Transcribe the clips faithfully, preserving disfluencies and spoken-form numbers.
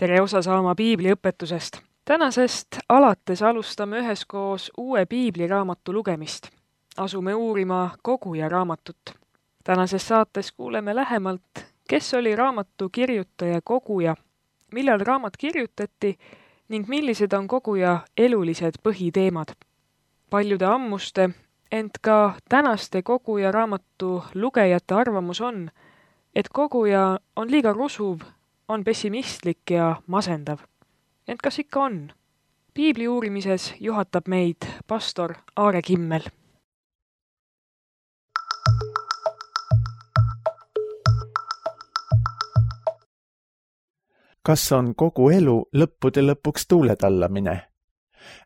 tere osa saama piibliõpetusest. Tänasest alates alustame üheskoos uue piibliraamatu lugemist. Asume uurima Koguja raamatut. Tänases saates kuuleme lähemalt, kes oli raamatu kirjutaja Koguja, millal raamat kirjutati ning millised on Koguja elulised põhiteemad. Paljude ammuste, ent ka tänaste Koguja raamatu lugejate arvamus on, et Koguja on liiga rusuv, on pessimistlik ja masendav. Ent kas ikka on? Piibli uurimises juhatab meid pastor Aare Kimmel. Kas on kogu elu lõppude lõpuks tuuletallamine?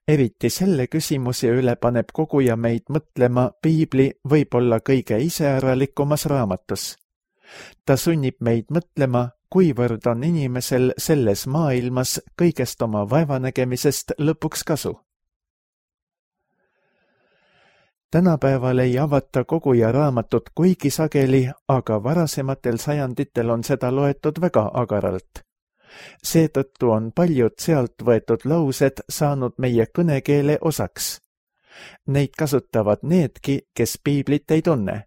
Eriti selle küsimuse üle paneb Koguja meid mõtlema Piibli võib-olla kõige iseäralikumas raamatus. Ta sunnib meid mõtlema, kuivõrd on inimesel selles maailmas kõigest oma vaevanägemisest lõpuks kasu. Tänapäeval ei avata Koguja raamatut kuigi sageli, aga varasematel sajanditel on seda loetud väga agaralt. Seetõttu on paljud sealt võetud laused saanud meie kõnekeele osaks. Neid kasutavad needki, kes Piiblit ei tunne.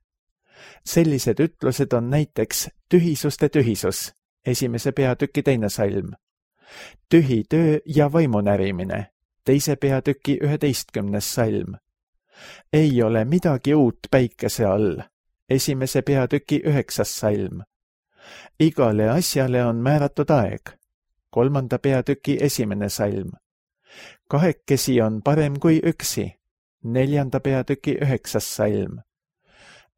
Sellised ütlused on näiteks tühisuste tühisus, esimese peatüki teine salm, tühi töö ja vaimunärimine, teise peatüki üheteistkümnes salm, ei ole midagi uut päikese all, esimese peatüki üheksas salm, igale asjale on määratud aeg, kolmanda peatüki esimene salm, kahekesi on parem kui üksi, neljanda peatüki üheksas salm,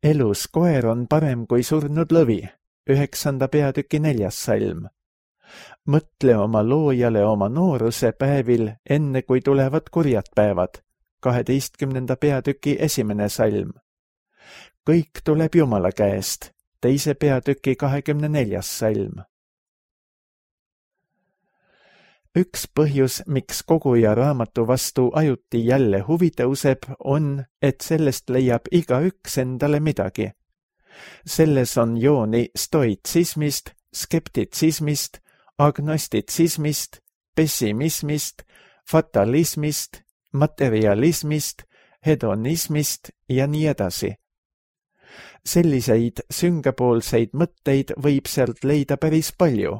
elus koer on parem kui surnud lõvi, üheksanda peatüki neljas salm. Mõtle oma loojale oma nooruse päevil, enne kui tulevad kurjad päevad, kaheteistkümnenda peatüki esimene salm. Kõik tuleb Jumala käest, teise peatüki kahekümne neljas salm. Üks põhjus, miks Koguja raamatu vastu ajuti jälle huvi tõuseb, on, et sellest leiab igaüks endale midagi. Selles on jooni stoitsismist, skeptitsismist, agnostitsismist, pessimismist, fatalismist, materialismist, hedonismist ja nii edasi. Selliseid süngepoolseid mõtteid võib sealt leida päris palju,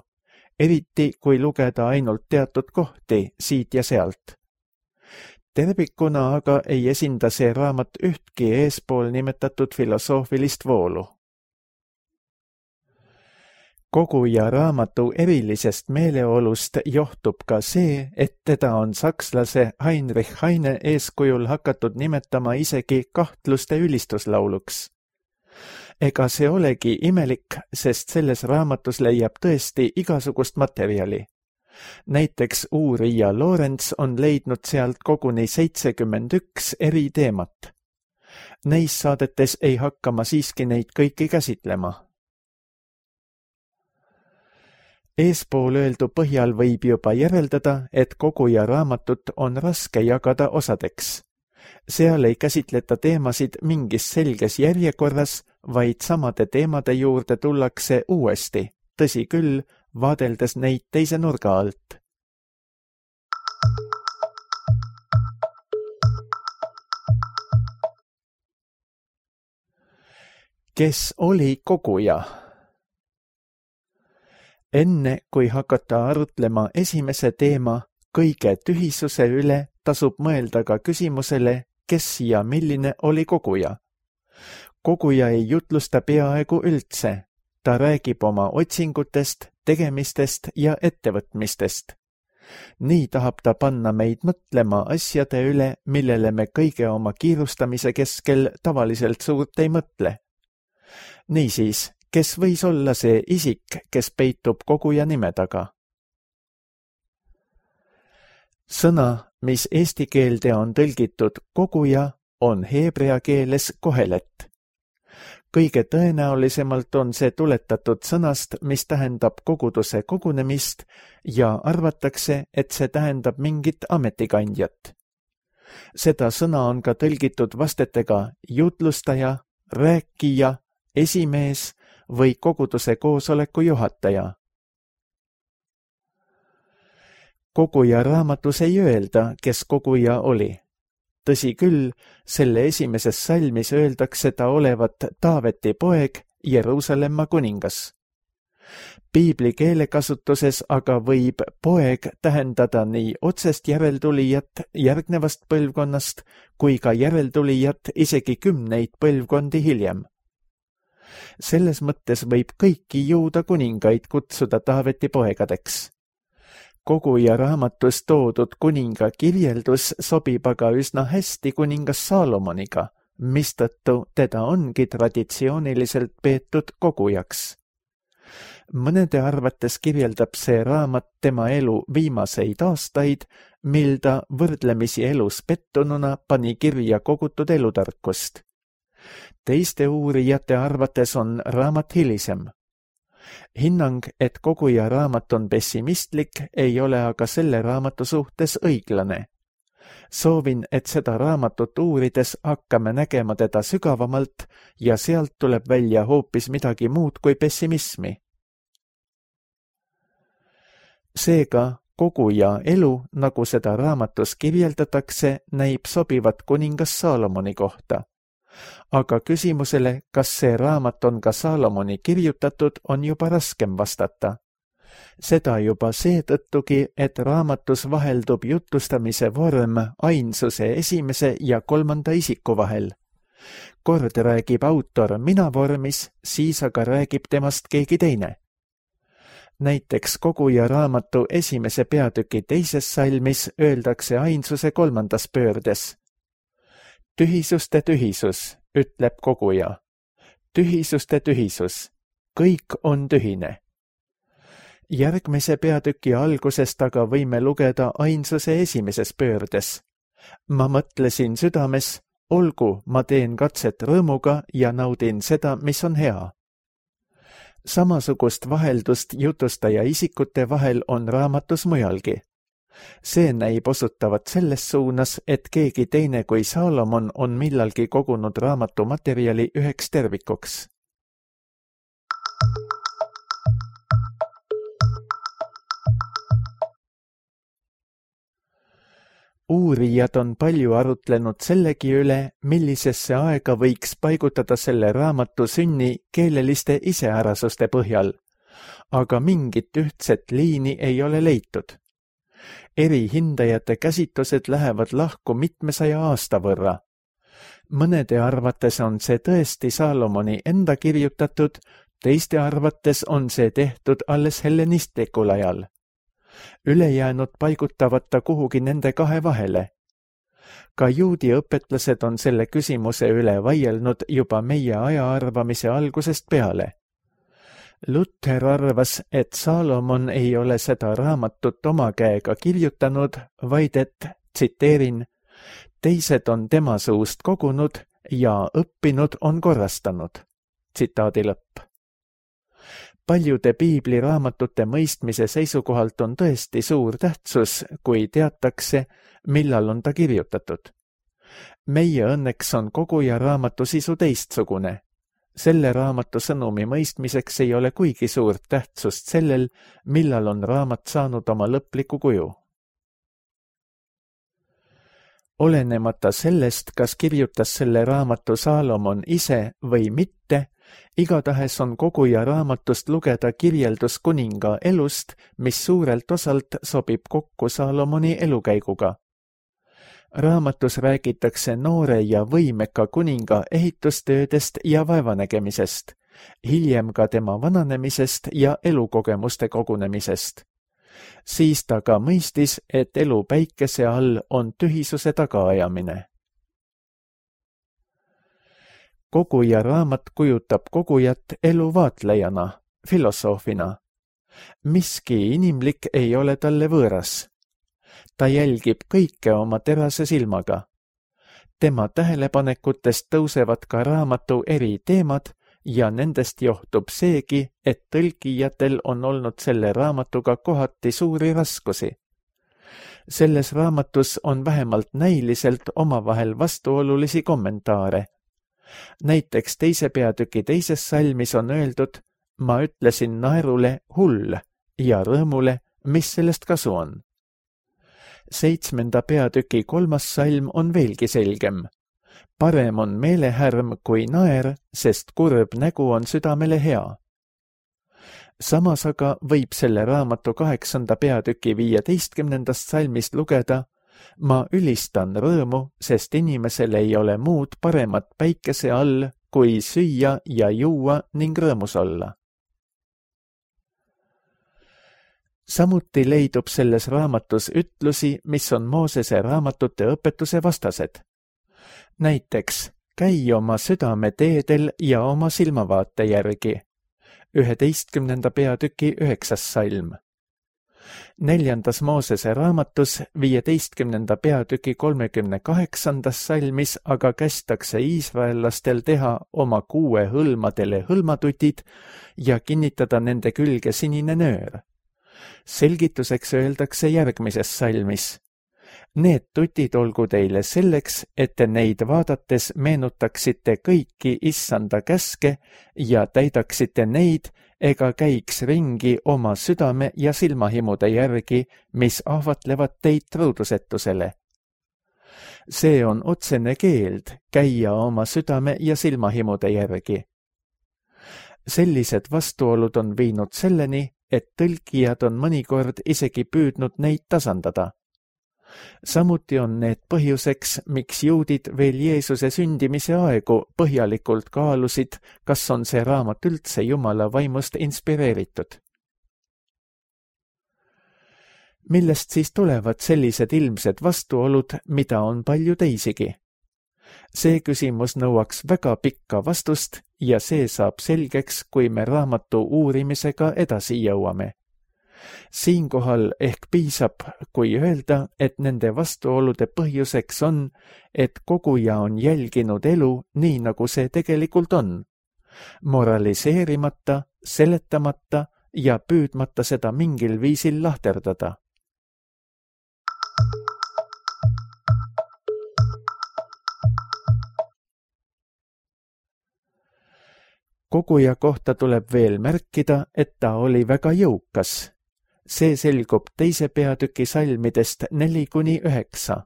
eriti kui lugeda ainult teatud kohti siit ja sealt. Tervikuna aga ei esinda see raamat ühtki eespool nimetatud filosoofilist voolu. Koguja raamatu erilisest meeleolust johtub ka see, et teda on sakslase Heinrich Heine eeskujul hakatud nimetama isegi kahtluste ülistuslauluks. Ega see olegi imelik, sest selles raamatus leiab tõesti igasugust materjali. Näiteks uurija Lorenz on leidnud sealt koguni seitsekümmend üks eri teemat. Neis saadetes ei hakka ma siiski neid kõiki käsitlema. Eespool öeldu põhjal võib juba järeldada, et Koguja raamatut on raske jagada osadeks. Seal ei käsitleta teemasid mingis selges järjekorras, vaid samade teemade juurde tullakse uuesti, tõsi küll, vaadeldes neid teise nurga alt. Kes oli Koguja? Enne, kui hakata arutlema esimese teema, kõige tühisuse üle, tasub mõelda ka küsimusele, kes ja milline oli Koguja. Koguja ei jutlusta peaaegu üldse, ta räägib oma otsingutest, tegemistest ja ettevõtmistest. Nii tahab ta panna meid mõtlema asjade üle, millele me kõige oma kiirustamise keskel tavaliselt suurt ei mõtle. Niisiis, kes võis olla see isik, kes peitub Koguja nime taga? Sõna, mis eesti keelde on tõlgitud Koguja, on heebrea keeles kohelet. Kõige tõenäolisemalt on see tuletatud sõnast, mis tähendab koguduse kogunemist ja arvatakse, et see tähendab mingit ametikandjat. Seda sõna on ka tõlgitud vastetega jutlustaja, rääkija, esimees või koguduse koosoleku juhataja. koguja raamatus ei öelda, kes koguja oli. Tõsi küll, selle esimeses salmis öeldakse ta olevat Taaveti poeg, Jeruusalemma kuningas. Piibli keelekasutuses aga võib poeg tähendada nii otsest järeltulijat järgnevast põlvkonnast kui ka järeltulijat isegi kümneid põlvkondi hiljem. Selles mõttes võib kõiki juuda kuningaid kutsuda Taaveti poegadeks. Koguja raamatus toodud kuninga kirjeldus sobib aga üsna hästi kuningas Saalomoniga, mistõttu teda ongi traditsiooniliselt peetud kogujaks. Mõnede arvates kirjeldab see raamat tema elu viimaseid aastaid, mil ta võrdlemisi elus pettununa pani kirja kogutud elutarkust. Teiste uurijate arvates on raamat hilisem. Hinnang, et koguja raamat on pessimistlik, ei ole aga selle raamatu suhtes õiglane. Soovin, et seda raamatut uurides hakkame nägema teda sügavamalt ja sealt tuleb välja hoopis midagi muud kui pessimismi. Seega, koguja elu, nagu seda raamatus kirjeldatakse, näib sobivat kuningas Saalomoni kohta. Aga küsimusele, kas see raamat on ka Saalomoni kirjutatud, on juba raskem vastata. Seda juba seetõttugi, et raamatus vaheldub jutustamise vorm ainsuse esimese ja kolmanda isiku vahel. Kord räägib autor mina vormis, siis aga räägib temast keegi teine. Näiteks koguja raamatu esimese peatüki teises salmis öeldakse ainsuse kolmandas pöördes. Tühisuste tühisus, ütleb koguja. Tühisuste tühisus, kõik on tühine. Järgmise peatüki algusest aga võime lugeda ainsuse esimeses pöördes. Ma mõtlesin südames, olgu, ma teen katset rõõmuga ja naudin seda, mis on hea. Samasugust vaheldust jutustaja isikute vahel on raamatus mujalgi. See näib osutavat selles suunas, et keegi teine kui Saalomon on millalgi kogunud raamatu materjali üheks tervikuks. Uurijad on palju arutlenud sellegi üle, millisesse aega võiks paigutada selle raamatu sünni keeleliste iseärasuste põhjal, aga mingit ühtset liini ei ole leitud. Eri hindajate käsitlused lähevad lahku mitmesaja aasta võrra. Mõnede arvates on see tõesti Saalomoni enda kirjutatud, teiste arvates on see tehtud alles hellenistlikul ajal. Ülejäänud paigutavad ta kuhugi nende kahe vahele. Ka juudi õpetlased on selle küsimuse üle vaielnud juba meie aja arvamise algusest peale. Luther arvas, et Saalomon ei ole seda raamatut oma käega kirjutanud, vaid et, tsiteerin, teised on tema suust kogunud ja õppinud on korrastanud. Tsitaadi lõpp. Paljude piibliraamatute mõistmise seisukohalt on tõesti suur tähtsus, kui teatakse, millal on ta kirjutatud. Meie õnneks on koguja raamatu sisu teistsugune. Selle raamatu sõnumi mõistmiseks ei ole kuigi suurt tähtsust sellel, millal on raamat saanud oma lõpliku kuju. Olenemata sellest, kas kirjutas selle raamatu Saalomon ise või mitte, igatahes on koguja raamatust lugeda kirjeldus kuninga elust, mis suurelt osalt sobib kokku Saalomoni elukäiguga. Raamatus räägitakse noore ja võimeka kuninga ehitustöödest ja vaevanägemisest, hiljem ka tema vananemisest ja elukogemuste kogunemisest. Siis ta ka mõistis, et elu päikese all on tühisuse tagaajamine. Koguja raamat kujutab kogujat eluvaatlejana, filosoofina. Miski inimlik ei ole talle võõras. Ta jälgib kõike oma terase silmaga. Tema tähelepanekutest tõusevad ka raamatu eri teemad ja nendest johtub seegi, et tõlkijatel on olnud selle raamatuga kohati suuri raskusi. Selles raamatus on vähemalt näiliselt omavahel vastuolulisi kommentaare. Näiteks teise peatüki teises salmis on öeldud, ma ütlesin naerule hull ja rõõmule, mis sellest kasu on. seitsmenda peatüki kolmas salm on veelgi selgem. Parem on meelehärm kui naer, sest kurb nägu on südamele hea. Samas aga võib selle raamatu kaheksanda peatüki viieteistkümnendast salmist lugeda: ma ülistan rõõmu, sest inimesel ei ole muud paremat päikese all, kui süüa ja juua ning rõõmus olla. Samuti leidub selles raamatus ütlusi, mis on Moosese raamatute õpetuse vastased. Näiteks, käi oma südame teedel ja oma silmavaate järgi. üheteistkümnenda peatüki üheksas salm. Neljandas Moosese raamatus viieteistkümnenda peatüki kolmekümne kaheksandas salmis aga kästakse iisraellastel teha oma kuue hõlmadele hõlmatutid ja kinnitada nende külge sinine nöör. Selgituseks öeldakse järgmises salmis: need tutid olgu teile selleks, et te neid vaadates meenutaksite kõiki issanda käske ja täidaksite neid ega käiks ringi oma südame ja silmahimude järgi, mis ahvatlevad teid truudusetusele. See on otsene keeld käia oma südame ja silmahimude järgi. Sellised vastuolud on viinud selleni, et tõlkijad on mõnikord isegi püüdnud neid tasandada. Samuti on need põhjuseks, miks juudid veel Jeesuse sündimise aegu põhjalikult kaalusid, kas on see raamat üldse Jumala vaimust inspireeritud. Millest siis tulevad sellised ilmsed vastuolud, mida on palju teisigi? See küsimus nõuaks väga pikka vastust ja see saab selgeks, kui me raamatu uurimisega edasi jõuame. Siinkohal ehk piisab, kui öelda, et nende vastuolude põhjuseks on, et koguja on jälginud elu nii, nagu see tegelikult on, moraliseerimata, seletamata ja püüdmata seda mingil viisil lahterdada. Koguja kohta tuleb veel märkida, et ta oli väga jõukas. See selgub teise peatüki salmidest neli kuni üheksa.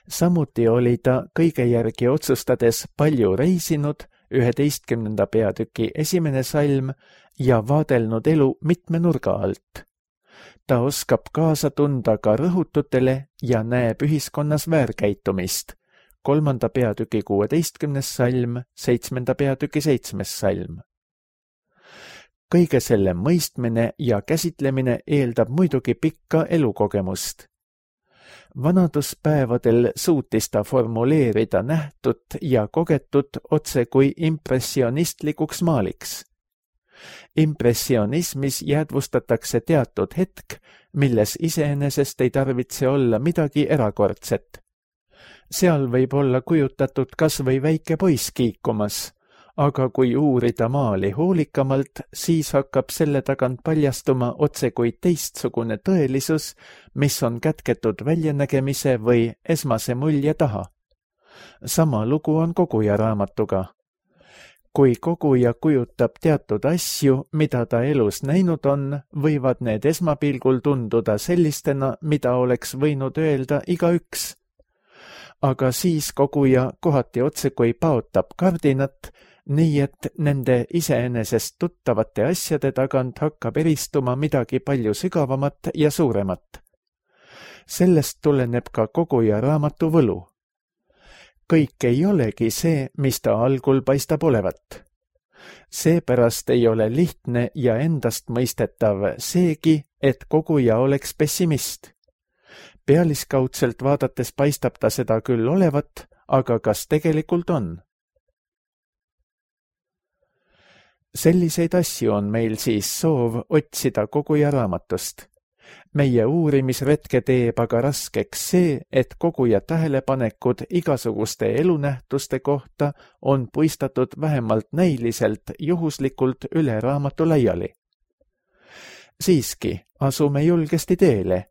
Samuti oli ta kõige järgi otsustades palju reisinud, üheteistkümnenda peatüki esimene salm, ja vaadelnud elu mitme nurga alt. Ta oskab kaasa tunda ka rõhututele ja näeb ühiskonnas väärkäitumist. kolmanda peatüki kuueteistkümnes salm, seitsmenda peatüki seitsmes salm. Kõige selle mõistmine ja käsitlemine eeldab muidugi pikka elukogemust. Vanaduspäevadel suutis ta formuleerida nähtut ja kogetut otse kui impressionistlikuks maaliks. Impressionismis jäädvustatakse teatud hetk, milles iseenesest ei tarvitse olla midagi erakordset. Seal võib olla kujutatud kas või väike poiss kiikumas, aga kui uurida maali hoolikamalt, siis hakkab selle tagant paljastuma otse kui teistsugune tõelisus, mis on kätketud väljanägemise või esmase mulje taha. Sama lugu on koguja raamatuga. Kui koguja kujutab teatud asju, mida ta elus näinud on, võivad need esmapilgul tunduda sellistena, mida oleks võinud öelda igaüks. Aga siis koguja kohati otse kui paotab kardinat, nii et nende iseenesest tuttavate asjade tagant hakkab eristuma midagi palju sügavamat ja suuremat. Sellest tuleneb ka koguja raamatu võlu. Kõik ei olegi see, mis ta algul paistab olevat. Seepärast ei ole lihtne ja endastmõistetav seegi, et koguja oleks pessimist. Pealiskaudselt vaadates paistab ta seda küll olevat, aga kas tegelikult on? Selliseid asju on meil siis soov otsida koguja raamatust. Meie uurimisretke teeb aga raskeks see, et koguja tähelepanekud igasuguste elunähtuste kohta on puistatud vähemalt näiliselt juhuslikult üle raamatu laiali. Siiski, asume julgesti teele.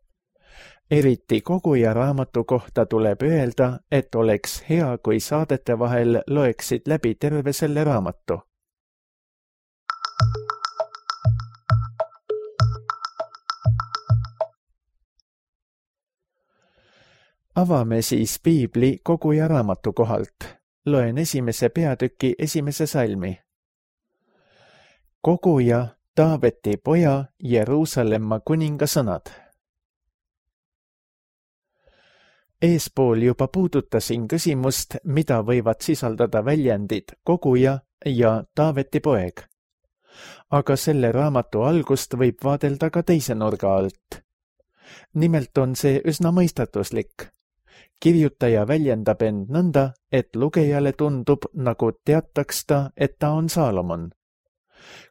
Eriti koguja raamatu kohta tuleb öelda, et oleks hea, kui saadete vahel loeksid läbi terve selle raamatu. avame siis piibli Koguja raamatu kohalt. Loen esimese peatüki esimese salmi. Koguja, Taaveti poja, Jeruusalemma kuninga sõnad. Eespool juba puudutasin küsimust, mida võivad sisaldada väljendid koguja ja Taaveti poeg. Aga selle raamatu algust võib vaadelda ka teise nurga alt. Nimelt on see üsna mõistatuslik. Kirjutaja väljendab end nõnda, et lugejale tundub, nagu teataks ta, et ta on Saalomon.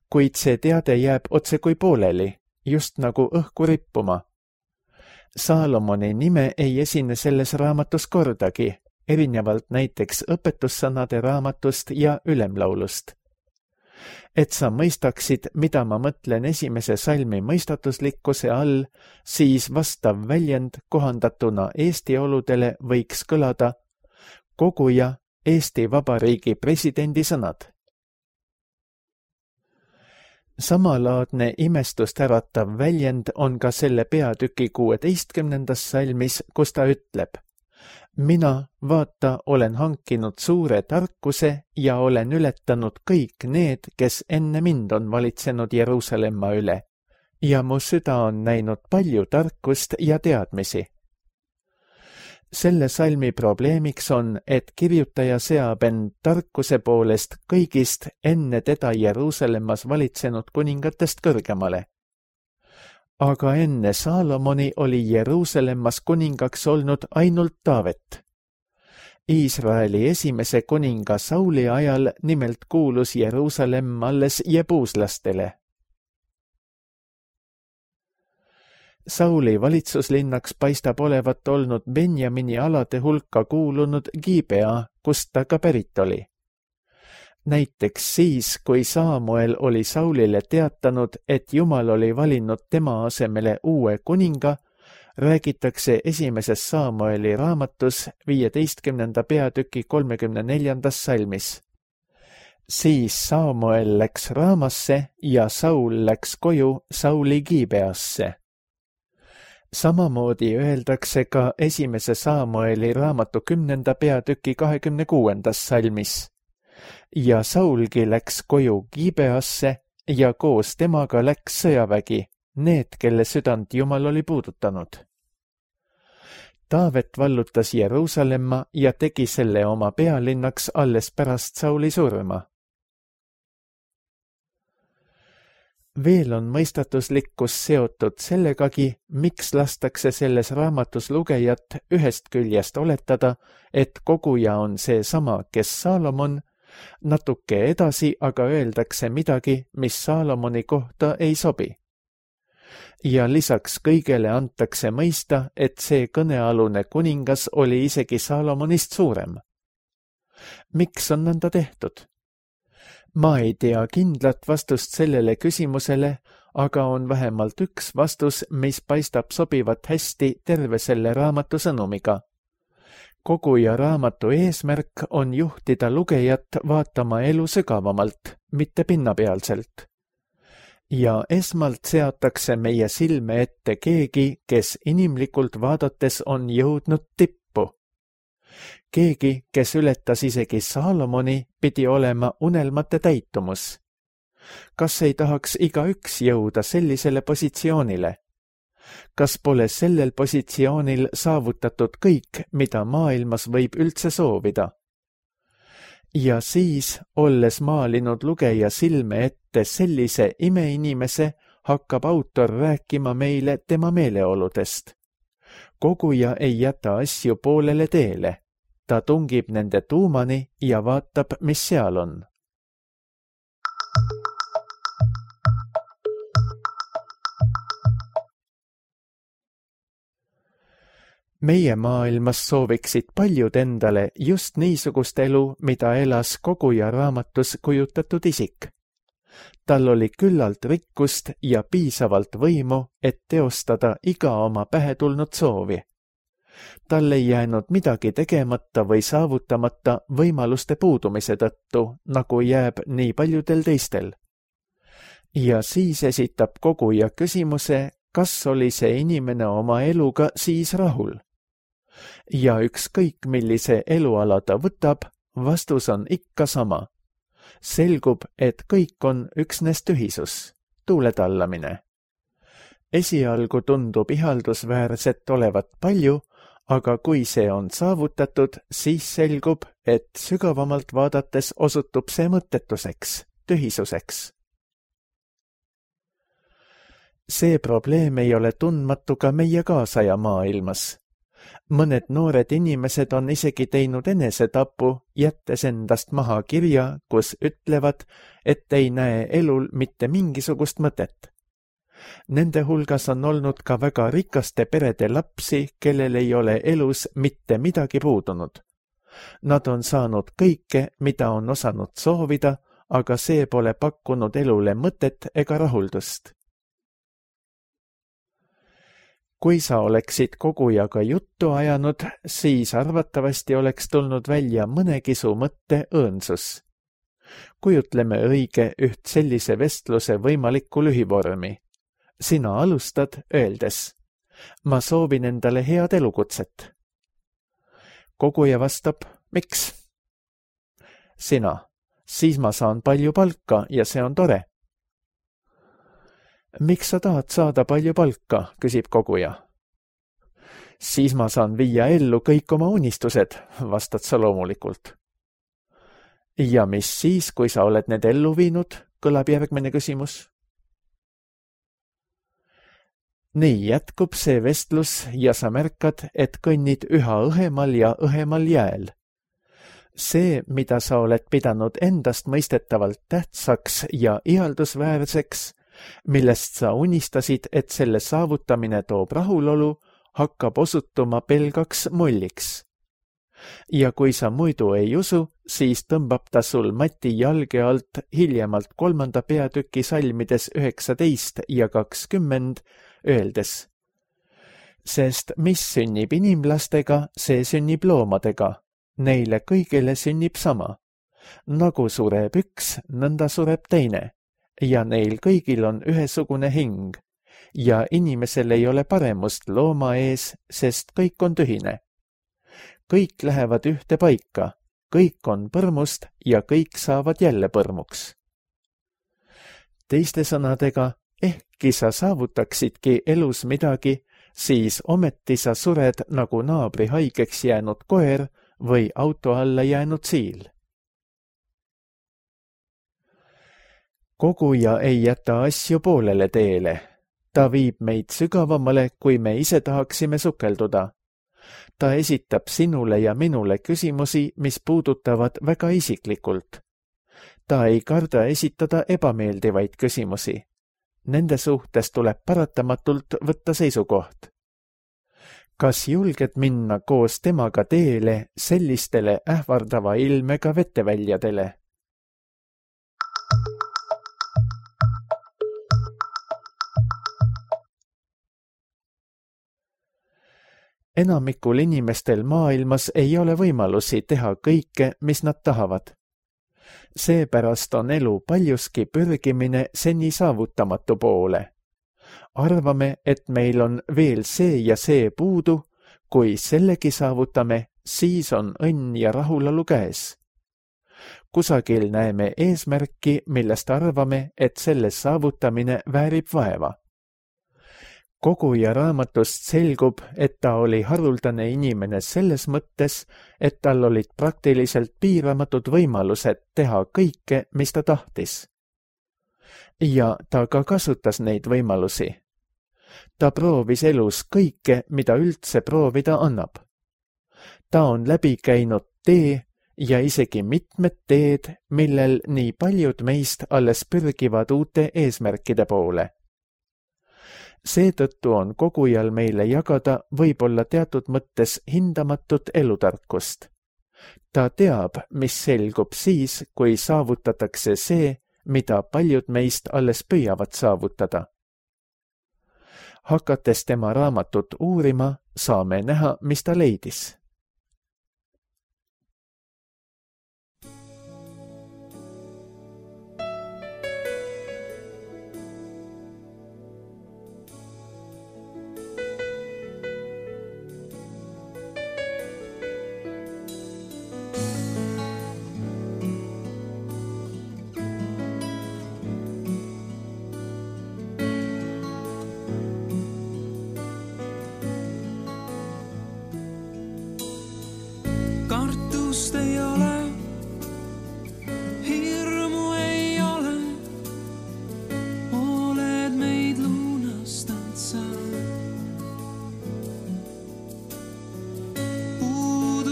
Kuid see teade jääb otse kui pooleli, just nagu õhku rippuma. Saalomoni nime ei esine selles raamatus kordagi, erinevalt näiteks õpetussõnade raamatust ja ülemlaulust. Et sa mõistaksid, mida ma mõtlen esimese salmi mõistatuslikkuse all, siis vastav väljend kohandatuna Eesti oludele võiks kõlada koguja Eesti Vabariigi presidendi sõnad. Samalaadne imestust äratav väljend on ka selle peatüki kuueteistkümnendas salmis, kus ta ütleb: mina, vaata, olen hankinud suure tarkuse ja olen ületanud kõik need, kes enne mind on valitsenud Jeruusalemma üle, ja mu süda on näinud palju tarkust ja teadmisi. Selle salmi probleemiks on, et kirjutaja seab end tarkuse poolest kõigist enne teda Jeruusalemmas valitsenud kuningatest kõrgemale. Aga enne Saalomoni oli Jeruusalemmas kuningaks olnud ainult Taavet. Iisraeli esimese kuninga Sauli ajal nimelt kuulus Jeruusalemm alles jebuuslastele. Sauli valitsuslinnaks paistab olevat olnud Benjamini alade hulka kuulunud Gibea, kust ta ka pärit oli. Näiteks siis, kui Saamuel oli Saulile teatanud, et Jumal oli valinud tema asemele uue kuninga, räägitakse esimeses Saamueli raamatus viieteistkümnenda peatüki kolmekümne neljandas salmis. Siis Saamuel läks Raamasse ja Saul läks koju Sauli Gibeasse. Samamoodi öeldakse ka esimese Saamueli raamatu kümnenda peatüki kahekümne kuuendas salmis. Ja Saulgi läks koju Gibeasse ja koos temaga läks sõjavägi, need, kelle südant Jumal oli puudutanud. Taavet vallutas Jeruusalemma ja tegi selle oma pealinnaks alles pärast Sauli surma. Veel on mõistatuslikkus seotud sellegagi, miks lastakse selles raamatus lugejat ühest küljest oletada, et koguja on see sama, kes Saalomon, natuke edasi aga öeldakse midagi, mis Saalomoni kohta ei sobi. Ja lisaks kõigele antakse mõista, et see kõnealune kuningas oli isegi Saalomonist suurem. Miks on nõnda tehtud? Ma ei tea kindlat vastust sellele küsimusele, aga on vähemalt üks vastus, mis paistab sobivat hästi terve selle raamatu sõnumiga. Koguja raamatu eesmärk on juhtida lugejat vaatama elu sügavamalt, mitte pinnapealselt. Ja esmalt seatakse meie silme ette keegi, kes inimlikult vaadates on jõudnud tippu. Keegi, kes ületas isegi Saalomoni, pidi olema unelmate täitumus. Kas ei tahaks igaüks jõuda sellisele positsioonile? Kas pole sellel positsioonil saavutatud kõik, mida maailmas võib üldse soovida? Ja siis, olles maalinud lugeja silme ette sellise imeinimese, hakkab autor rääkima meile tema meeleoludest. Koguja ei jäta asju poolele teele. Ta tungib nende tuumani ja vaatab, mis seal on. Meie maailmas sooviksid paljud endale just niisugust elu, mida elas koguja raamatus kujutatud isik. Tal oli küllalt rikkust ja piisavalt võimu, et teostada iga oma pähe tulnud soovi. Tal ei jäänud midagi tegemata või saavutamata võimaluste puudumise tõttu, nagu jääb nii paljudel teistel. Ja siis esitab koguja küsimuse, kas oli see inimene oma eluga siis rahul. ja ükskõik millise eluala ta võtab, vastus on ikka sama. Selgub, et kõik on üksnes tühisus, tuuletallamine. Esialgu tundub ihaldusväärset olevat palju, aga kui see on saavutatud, siis selgub, et sügavamalt vaadates osutub see mõttetuseks, tühisuseks. See probleem ei ole tundmatu ka meie kaasaja maailmas. Mõned noored inimesed on isegi teinud enesetapu, jättes endast maha kirja, kus ütlevad, et ei näe elul mitte mingisugust mõtet. Nende hulgas on olnud ka väga rikaste perede lapsi, kellel ei ole elus mitte midagi puudunud. Nad on saanud kõike, mida on osanud soovida, aga see pole pakkunud elule mõtet ega rahuldust. Kui sa oleksid kogujaga juttu ajanud, siis arvatavasti oleks tulnud välja mõnegi su mõtte õõnsus. Kujutleme õige üht sellise vestluse võimalikku lühivormi. Sina alustad öeldes, ma soovin endale head elukutset. Koguja vastab, miks? Sina, siis ma saan palju palka ja see on tore. Miks sa tahad saada palju palka, küsib koguja. Siis ma saan viia ellu kõik oma unistused, vastad sa loomulikult. Ja mis siis, kui sa oled need ellu viinud, kõlab järgmine küsimus. Nii jätkub see vestlus ja sa märkad, et kõnnid üha õhemal ja õhemal jääl. See, mida sa oled pidanud endast mõistetavalt tähtsaks ja ihaldusväärseks, millest sa unistasid, et selle saavutamine toob rahulolu, hakkab osutuma pelgaks mulliks. Ja kui sa muidu ei usu, siis tõmbab ta sul Mati jalge alt hiljemalt kolmanda peatüki salmides üheksateist ja kakskümmend, öeldes. Sest mis sünnib inimlastega, see sünnib loomadega. Neile kõigile sünnib sama. Nagu sureb üks, nõnda sureb teine. Ja neil kõigil on ühesugune hing. Ja inimesel ei ole paremust looma ees, sest kõik on tühine. Kõik lähevad ühte paika, kõik on põrmust ja kõik saavad jälle põrmuks. Teiste sõnadega, ehkki sa saavutaksidki elus midagi, siis ometi sa sured nagu naabri haigeks jäänud koer või auto alla jäänud siil. Koguja ei jäta asju poolele teele. Ta viib meid sügavamale, kui me ise tahaksime sukelduda. Ta esitab sinule ja minule küsimusi, mis puudutavad väga isiklikult. Ta ei karda esitada ebameeldivaid küsimusi. Nende suhtes tuleb paratamatult võtta seisukoht. Kas julged minna koos temaga teele sellistele ähvardava ilmega vetteväljadele? Enamikul inimestel maailmas ei ole võimalusi teha kõike, mis nad tahavad. Seepärast on elu paljuski pürgimine seni saavutamatu poole. Arvame, et meil on veel see ja see puudu, kui sellegi saavutame, siis on õnn ja rahulolu käes. Kusagil näeme eesmärki, millest arvame, et selle saavutamine väärib vaeva. Koguja raamatust selgub, et ta oli haruldane inimene selles mõttes, et tal olid praktiliselt piiramatud võimalused teha kõike, mis ta tahtis. Ja ta ka kasutas neid võimalusi. Ta proovis elus kõike, mida üldse proovida annab. Ta on läbi käinud tee ja isegi mitmed teed, millel nii paljud meist alles pürgivad uute eesmärkide poole. Seetõttu on kogujal meile jagada võib-olla teatud mõttes hindamatut elutarkust. Ta teab, mis selgub siis, kui saavutatakse see, mida paljud meist alles püüavad saavutada. Hakates tema raamatut uurima, saame näha, mis ta leidis.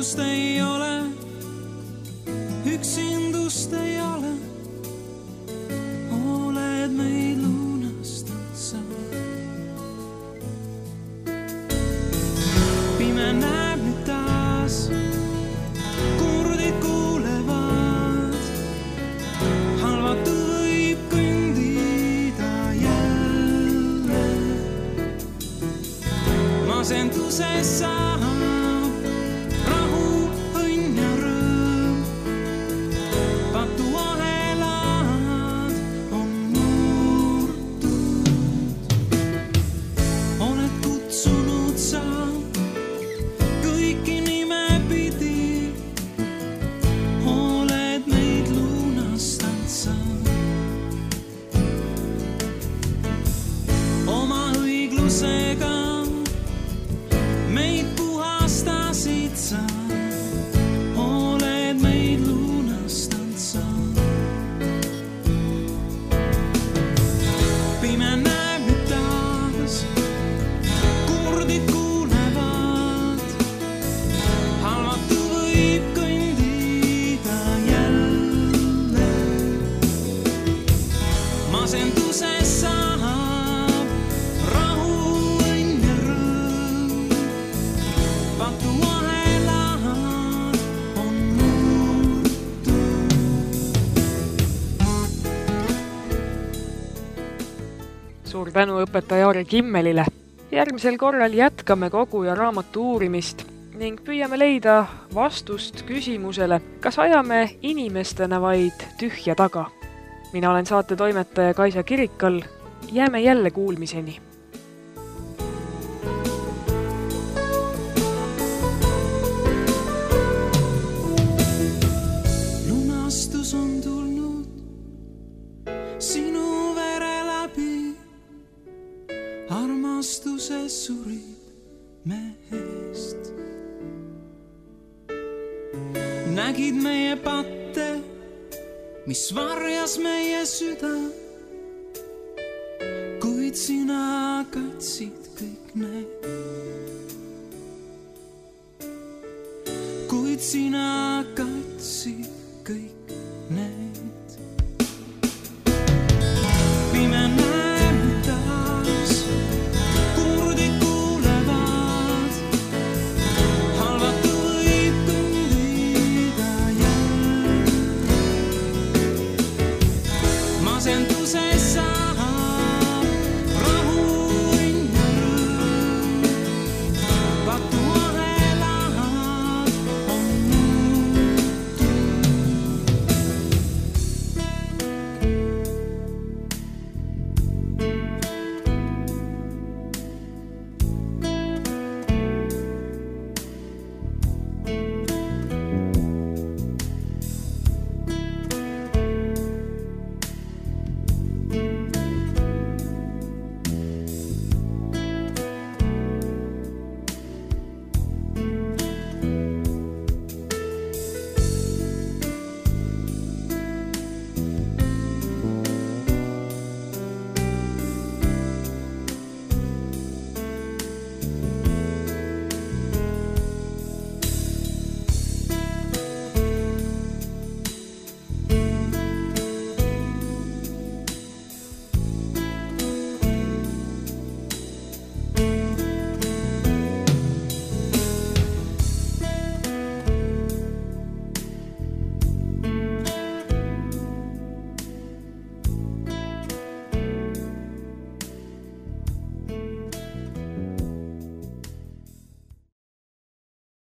üksinust ei ole, üksindust ei ole, oled meid lunastanud sa. Pime näeb nüüd taas, kurdid kuulevad, halvatu võib kõndida jälle. Masenduses saab rahu, õnn ja rõõm, patuahelad on murtud. Oled kutsunud sa kõiki nimepidi, oled meid lunastanud sa. Oma õiglusega meid puhastasid sa, oled meid lunastanud sa. Pime näeb nüüd taas, kurdid kuulevad, halvatu võib kõndida jälle. Masenduses saab rahu, õnn ja rõõm, patuahelad on murtud. Suur tänu õpetaja Aari Kimmelile. Järgmisel korral jätkame kogu ja raamatu uurimist ning püüame leida vastust küsimusele, kas ajame inimestena vaid tühja taga. Mina olen saate toimetaja Kaisa Kirikal. Jääme jälle kuulmiseni. Lunastus on tulnud sinu vere läbi, armastuses surid mehest. Nägid meie patte, mis varjas meie süda, kuid sina katsid kõik need. Kuid sina katsid kõik